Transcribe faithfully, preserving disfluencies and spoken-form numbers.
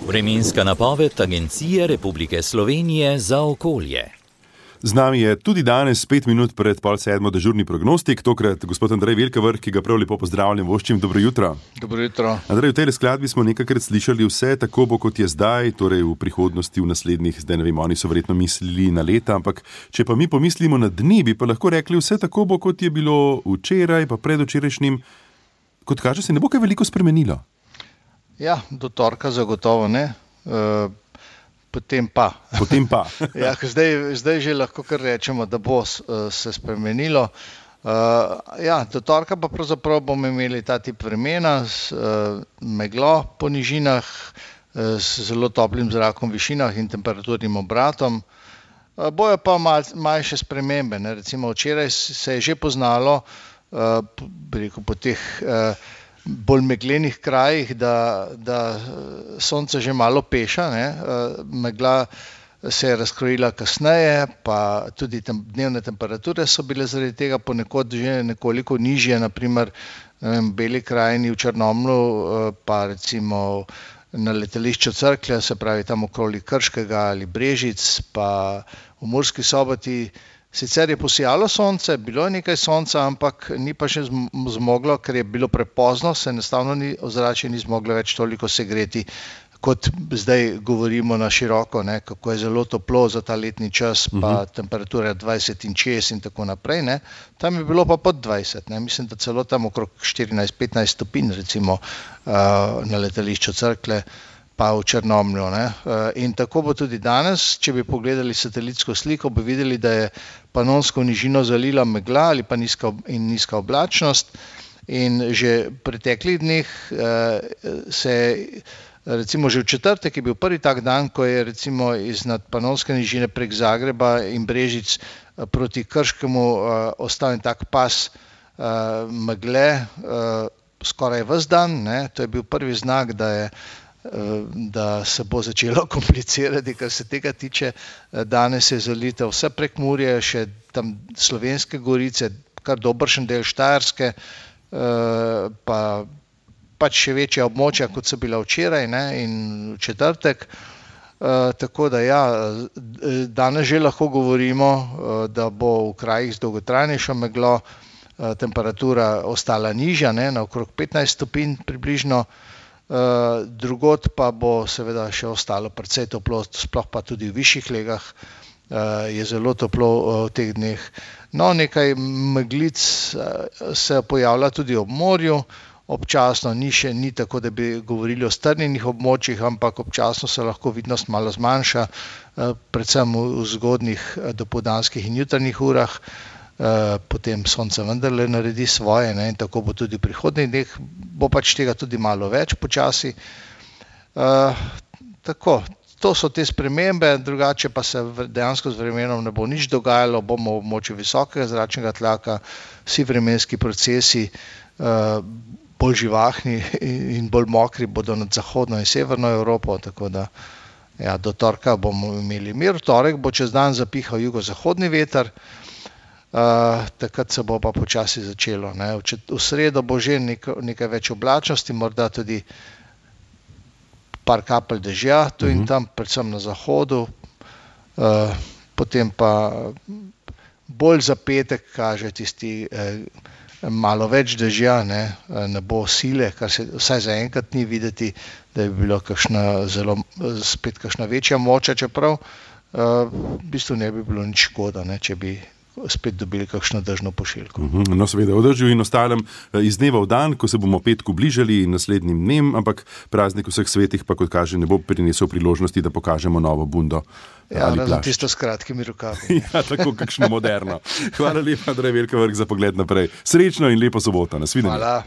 Vremenska napoved Agencije Republike Slovenije za okolje. Z nami je tudi danes, pet minut pred pol sedmo, dežurni prognostik, tokrat gospod Andrej Velkavrh, ki ga prav lepo pozdravljam, voščim, dobro jutro. Dobro jutro. Andrej, v tej skladbi smo nekajkrat slišali vse tako bo, kot je zdaj, torej v prihodnosti, v naslednjih, zdaj ne vem, oni so verjetno mislili na leta, ampak če pa mi pomislimo na dni, bi pa lahko rekli vse tako bo, kot je bilo včeraj, pa predvčerajšnjim, kot kaže, se ne bo kaj veliko spremenilo. Ja, do torka zagotovo ne. Uh... Potem pa. Potem pa. ja, zdaj, zdaj že lahko kar rečemo, da bo se spremenilo. Uh, ja, do torka pa pravzaprav bomo imeli ta tip vremena z uh, meglo po nižinah, uh, z zelo toplim zrakom v višinah in temperaturnim obratom. Uh, bojo pa mal, manjše spremembe. Ne? Recimo včeraj se je že poznalo uh, rekel, po teh uh, bolj meglenih krajih, da, da sonce že malo peša, ne? Megla se je razkrojila kasneje, pa tudi tem, dnevne temperature so bile zaradi tega ponekod že nekoliko nižje, naprimer v Beli krajini, v Črnomlju, pa recimo na letališču Cerklje, se pravi tam okoli Krškega ali Brežic, pa v Murski Soboti. Sicer je posijalo sonce, bilo je nekaj sonca, ampak ni pa še zmoglo, ker je bilo prepozno, se enostavno ni, ozračje ni zmoglo več toliko segreti, kot zdaj govorimo na široko, ne, kako je zelo toplo za ta letni čas, pa uh-huh. temperatura dvajset in čez in tako naprej. Ne. Tam je bilo pa pod dvajset, ne. Mislim, da celo tam okrog štirinajst petnajst stopinj, recimo uh, na letališču Cerklje, pa v Črnomlju. Ne. In tako bo tudi danes, če bi pogledali satelitsko sliko, bi videli, da je Panonsko nižino zalila megla ali pa nizka in nizka oblačnost. In že v preteklih dneh se recimo že v četrtek je bil prvi tak dan, ko je recimo iznad Panonske nižine prek Zagreba in Brežic proti Krškemu ostal en tak pas megle skoraj ves dan. Ne. To je bil prvi znak, da je da se bo začelo komplicirati, kar se tega tiče. Danes je zalitev vse Prekmurje, še tam Slovenske gorice, kar dobršen del Štajerske, pa pač še večja območja, kot so bila včeraj, ne, in v četrtek. Tako da ja, danes že lahko govorimo, da bo v krajih z dolgotrajnejšo meglo temperatura ostala nižja, ne, na okrog petnajst stopinj približno. Uh, drugod pa bo seveda še ostalo precej toplo, sploh pa tudi v višjih legah uh, je zelo toplo uh, v teh dneh. No, nekaj meglic uh, se pojavlja tudi ob morju, občasno ni še ni tako, da bi govorili o strnjenih območjih, ampak občasno se lahko vidnost malo zmanjša, uh, predvsem v, v zgodnjih uh, dopoldanskih in jutranjih urah. Uh, potem sonce vendarle naredi svoje, ne, in tako bo tudi v prihodnjih dneh, bo pač tega tudi malo več počasi. Uh, tako, to so te spremembe, drugače pa se dejansko z vremenom ne bo nič dogajalo, bomo v območju visokega zračnega tlaka, vsi vremenski procesi uh, bolj živahni in bolj mokri bodo nad zahodno in severno Evropo, tako da ja, do torka bomo imeli mir. V torek bo čez dan zapihal jugozahodni veter. Uh, takrat se bo pa počasi začelo. Ne. V, čet, v sredo bo že nekaj, nekaj več oblačnosti, morda tudi par kapelj dežja, tu in tam, predvsem na zahodu. Uh, potem pa bolj za petek kaže tisti eh, malo več dežja, ne, ne bo sile, kar se vsaj zaenkrat ni videti, da bi bilo kakšna zelo, spet kakšna večja moča, čeprav uh, v bistvu ne bi bilo nič škoda, ne, če bi spet dobili kakšno dežno pošiljko. No, seveda, o dežju in ostalem iz dneva v dan, ko se bomo petku bližali naslednjim dnem, ampak praznik vseh svetih pa, kot kaže, ne bo prinesel priložnosti, da pokažemo novo bundo. Ja, razen tisto s kratkimi rokavi. Ja, tako kakšno moderno. Hvala lepa, Andrej Velkavrh, za pogled naprej. Srečno in lepo soboto. Nasvidenje. Hvala.